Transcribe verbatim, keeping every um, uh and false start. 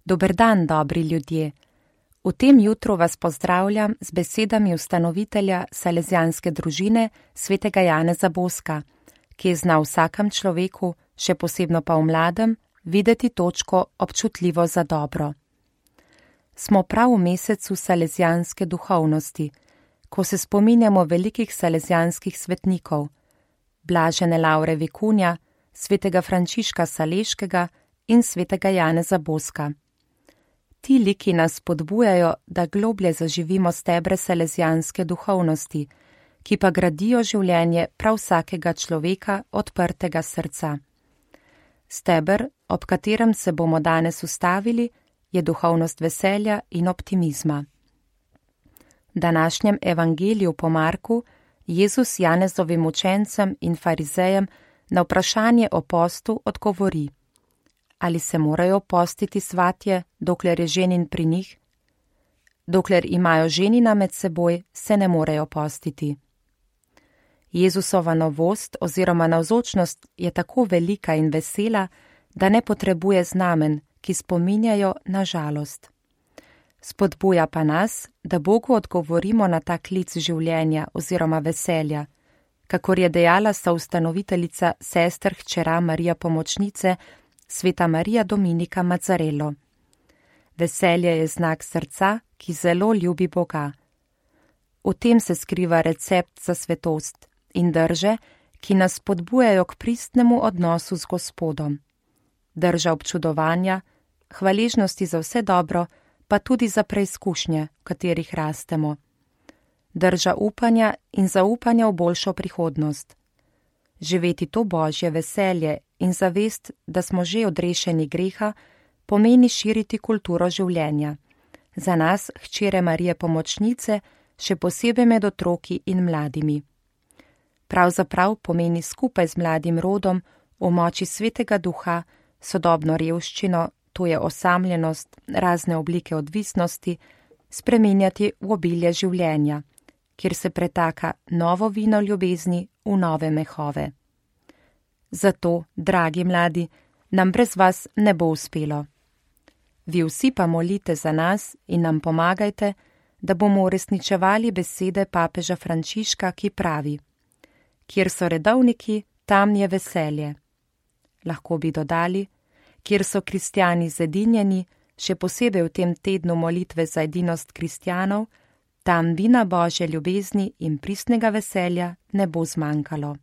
Dober dan, dobri ljudje. V tem jutru vas pozdravljam z besedami ustanovitelja Salezijanske družine svetega Janeza Boska, ki je znal vsakem človeku, še posebno pa v mladem, videti točko občutljivo za dobro. Smo prav v mesecu salezijanske duhovnosti, ko se spominjamo velikih salezijanskih svetnikov, Blažene Laure Vikunja, svetega Frančiška Saleškega in svetega Janeza Boska. Ti liki nas spodbujajo, da globlje zaživimo stebre salezijanske duhovnosti, ki pa gradijo življenje prav vsakega človeka odprtega srca. Steber, ob katerem se bomo danes ustavili, je duhovnost veselja in optimizma. V današnjem evangeliju po Marku Jezus Janezovim učencem in farizejem na vprašanje o postu odgovori: ali se morajo postiti svatje, dokler je ženin pri njih? Dokler imajo ženina med seboj, se ne morejo postiti. Jezusova novost oziroma navzočnost je tako velika in vesela, da ne potrebuje znamen, ki spominjajo na žalost. Spodbuja pa nas, da Bogu odgovorimo na ta klic življenja oziroma veselja, kakor je dejala soustanoviteljica sester hčera Marija Pomočnice, sveta Marija Dominika Mazzarello. Veselje je znak srca, ki zelo ljubi Boga. V tem se skriva recept za svetost in drže, ki nas spodbujajo k pristnemu odnosu z Gospodom. Drža občudovanja, hvaležnosti za vse dobro, pa tudi za preizkušnje, v katerih rastemo. Drža upanja in zaupanja v boljšo prihodnost. Živeti to božje veselje in zavest, da smo že odrešeni greha, pomeni širiti kulturo življenja. Za nas, hčere Marije Pomočnice, še posebej med otroki in mladimi. Pravzaprav pomeni skupaj z mladim rodom v moči svetega duha sodobno revščino, to je osamljenost, razne oblike odvisnosti, spreminjati v obilje življenja, kjer se pretaka novo vino ljubezni v nove mehove. Zato, dragi mladi, nam brez vas ne bo uspelo. Vi vsi pa molite za nas in nam pomagajte, da bomo uresničevali besede papeža Frančiška, ki pravi: kjer so redovniki, tam je veselje. Lahko bi dodali, kjer so kristjani zedinjeni, še posebej v tem tednu molitve za edinost kristjanov, tam vina božje ljubezni in pristnega veselja ne bo zmanjkalo.